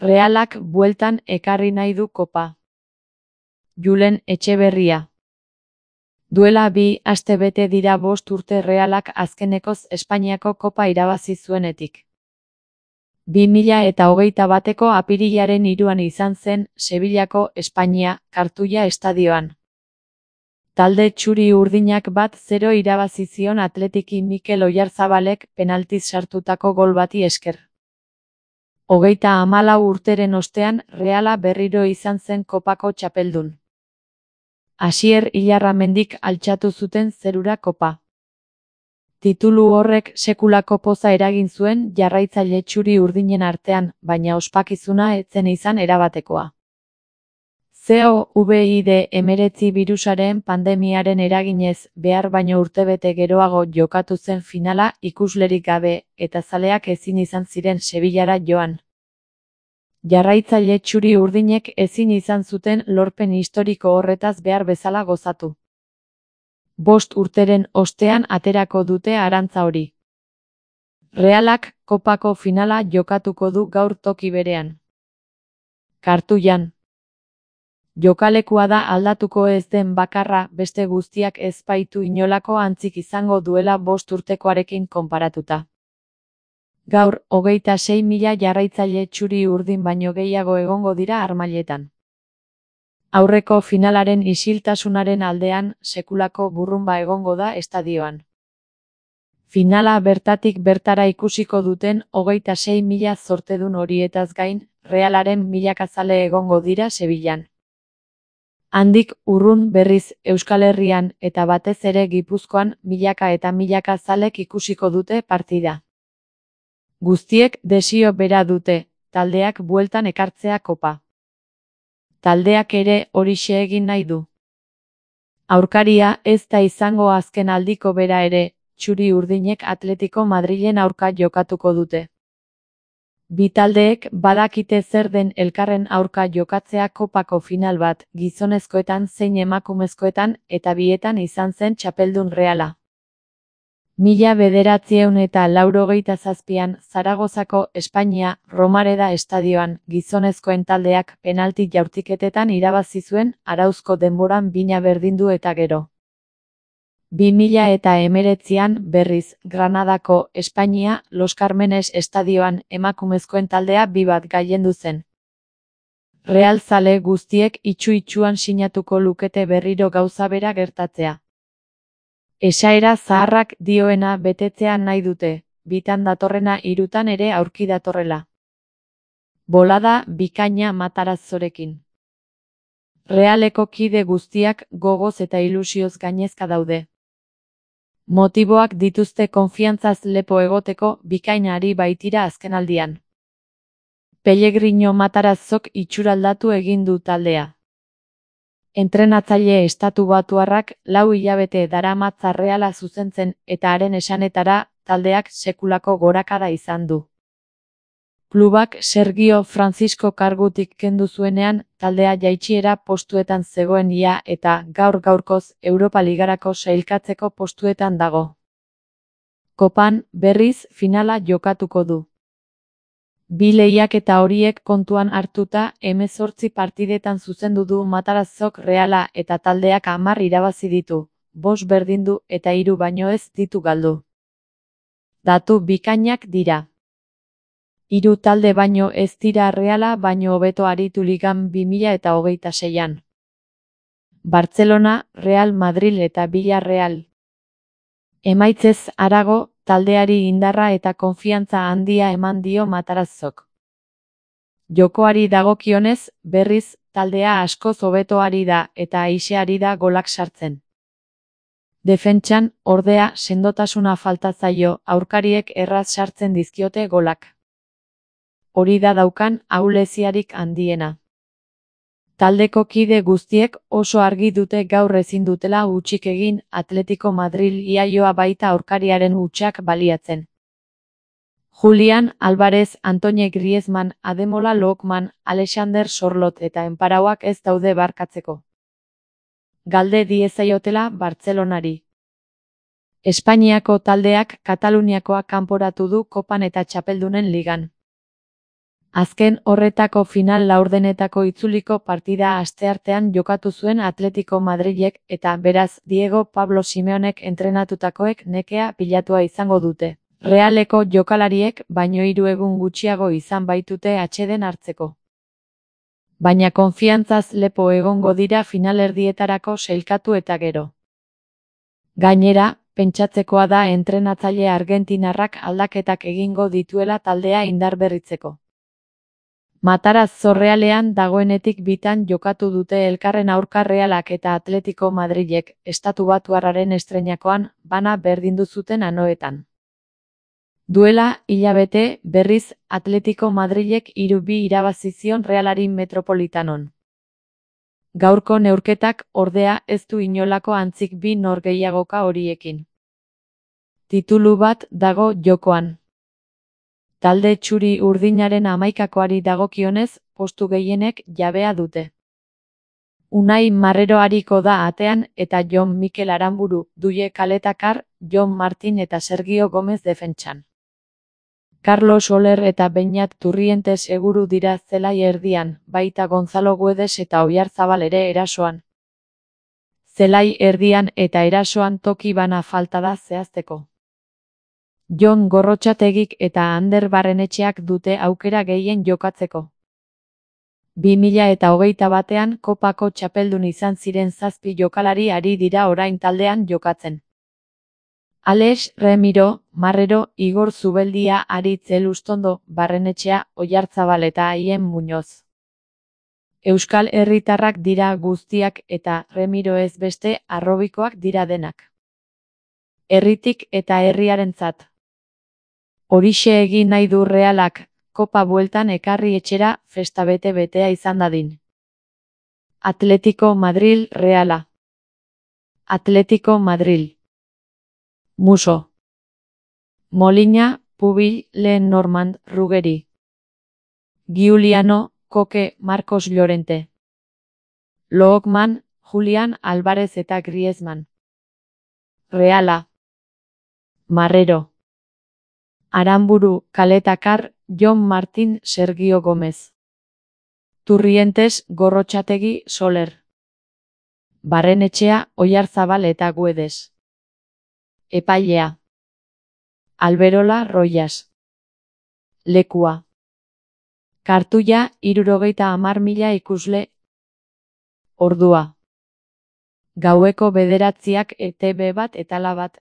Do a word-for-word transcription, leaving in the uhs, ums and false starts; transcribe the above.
Realak bueltan ekarri nahi du kopa. Julen Etxeberria. Duela bi astebete dira bost urte Realak azkenekoz Espainiako kopa irabazi zuenetik. bi mila eta hogeita bateko apirilaren hiruan izan zen Sevillako Espainia Kartuia estadioan. Talde txuri urdinak bat zero irabazi zion Atletiki Mikel Oyarzabalek penaltiz sartutako gol bati esker. Hogeita hamalau urteren ostean Reala berriro izan zen kopako txapeldun. Asier Ilarramendik altxatu zuten zerura kopa. Titulu horrek sekulako poza eragin zuen jarraitzaile txuri urdinen artean, baina ospakizuna ez zen izan erabatekoa. Covid hemeretzi birusaren pandemiaren eraginez behar baino urtebete geroago jokatu zen finala ikuslerik gabe eta zaleak ezin izan ziren Sevillara joan. Jarraitzaile txuri urdinek ezin izan zuten lorpen historiko horretaz behar bezala gozatu. Bost urteren ostean aterako dute arantza hori. Realak kopako finala jokatuko du gaur toki berean. Kartuian. Jokalekua da aldatuko ez den bakarra, beste guztiak ez baitu inolako antzik izango duela bost urtekoarekin konparatuta. Gaur, hogeita sei mila jarraitzaile txuri urdin baino gehiago egongo dira harmailetan. Aurreko finalaren isiltasunaren aldean, sekulako burrunba egongo da estadioan. Finala bertatik bertara ikusiko duten hogeita sei mila zortedun horietaz gain, Realaren milakazale egongo dira Sevillan. Handik urrun berriz Euskal Herrian eta batez ere Gipuzkoan milaka eta milaka zalek ikusiko dute partida. Guztiek desio bera dute, taldeak bueltan ekartzea kopa. Taldeak ere horixe egin nahi du. Aurkaria ez da izango azken aldiko bera ere, txuri urdinek Atletico Madrilen aurka jokatuko dute. Bi taldeek badakite zer den elkarren aurka jokatzea kopako final bat, gizonezkoetan zein emakumezkoetan eta bietan izan zen txapeldun Reala. Mila bederatziehun eta laurogeita zazpian Zaragozako Espainia Romareda estadioan gizonezkoen taldeak penalti jaurtiketetan irabazi zuen arauzko denboran bina berdindu eta gero. bi mila eta hemeretzian berriz Granadako Espainia Los Carmenes estadioan emakumezkoen taldea bi bat gailendu zen. Real zale guztiek itxu-itxuan sinatuko lukete berriro gauza bera gertatzea. Esaera zaharrak dioena betetzea nahi dute, bitan datorrena hirutan ere aurki datorrela. Bolada bikaina Matarazorekin. Realeko kide guztiak gogoz eta ilusioz gainezka daude. Motiboak dituzte konfiantzaz lepo egoteko bikainari baitira azkenaldian. Pellegrino Matarazok itxuraldatu egin du taldea. Entrenatzaile estatubatuarrak lau hilabete daramatza Reala zuzentzen eta haren esanetara taldeak sekulako gorakada izan du. Klubak Sergio Francisco kargutik kendu zuenean taldea jaitsiera postuetan zegoen ia eta gaur gaurkoz Europa Ligarako sailkatzeko postuetan dago. Kopan berriz finala jokatuko du. Bi lehiaketa horiek kontuan hartuta hemezortzi partidetan zuzendu du Matarazok Reala eta taldeak hamar irabazi ditu, bost berdindu eta hiru baino ez ditu galdu. Datu bikainak dira. Hiru talde baino ez dira Reala baino hobeto aritu ligan bi mila eta hogeita seian. Bartzelona, Real Madrid eta Villarreal. Emaitzez harago, taldeari indarra eta konfiantza handia eman dio Matarazok. Jokoari dagokionez, berriz, taldea askoz hobeto ari da eta aise ari da golak sartzen. Defentsan, ordea, sendotasuna falta zaio, aurkariek erraz sartzen dizkiote golak. Hori da daukan ahuleziarik handiena. Taldeko kide guztiek oso argi dute gaur ezin dutela hutsik egin Atletico Madrid iaioa baita aurkariaren hutsak baliatzen. Julian Álvarez, Antoine Griezmann, Ademola Lookman, Alexander Sorloth eta enparauak ez daude barkatzeko. Galde diezaiotela Bartzelonari. Espainiako taldeak Kataluniakoa kanporatu du Kopan eta Txapeldunen ligan. Azken horretako final laurdenetako itzuliko partida asteartean jokatu zuen Atletico Madrilek eta beraz Diego Pablo Simeonek entrenatutakoek nekea pilatua izango dute. Realeko jokalariek baino hiru egun gutxiago izan baitute atseden hartzeko. Baina konfiantzaz lepo egongo dira finalerdietarako sailkatu eta gero. Gainera, pentsatzekoa da entrenatzaile argentinarrak aldaketak egingo dituela taldea indarberritzeko. Mataraz Zorrealean dagoenetik bitan jokatu dute elkarren aurka Realak eta Atletico Madrilek estatubatuarraren estreinakoan bana berdindu zuten anoetan. Duela hilabete berriz Atletico Madrilek hiru bi irabazi zion Realari Metropolitanon. Gaurko neurketak ordea ez du inolako antzik bi norgehiagoka horiekin. Titulu bat dago jokoan. Talde txuri urdinaren hamaikakoari dagokionez, postu gehienek jabea dute. Unai Marrero ariko da atean eta Jon Mikel Aranburu, Duie Kaletakar, Jon Martin eta Sergio Gomez defentsan. Carlos Soler eta Beñat Turrientes seguru dira zelai erdian, baita Gonzalo Guedes eta Oyarzabal ere erasoan. Zelai erdian eta erasoan toki bana falta da zehazteko. Jon Gorrotxategik eta Ander Barrenetxeak dute aukera gehien jokatzeko. bi mila hogeita batean kopako txapeldun izan ziren zazpi jokalari ari dira orain taldean jokatzen. Alex Remiro, Marrero, Igor Zubeldia, Aritz Elustondo, Barrenetxea, Oyarzabal eta Aien Muñoz. Euskal herritarrak dira guztiak eta Remiro ez beste arrobikoak dira denak. Herritik eta herriarentzat. Horixe egin nahi du Realak, kopa bueltan ekarri etxera festa bete-betea izan dadin. Atletico Madril Reala. Atletico Madril. Muso. Molina, Pubil, Lenormand, Ruggeri. Giuliano, Koke, Marcos Llorente. Lookman, Julián Álvarez eta Griezmann. Reala. Marrero. Aranburu, Kaletakar, Jon Martin, Sergio Gomez. Turrientes, Gorrotxategi, Soler. Barrenetxea, Oyarzabal eta Guedes. Epailea. Alberola Royas. Lekua. Kartuia, hirurogeita hamar mila ikusle. Ordua. Gaueko bederatziak E T B bat eta la bat.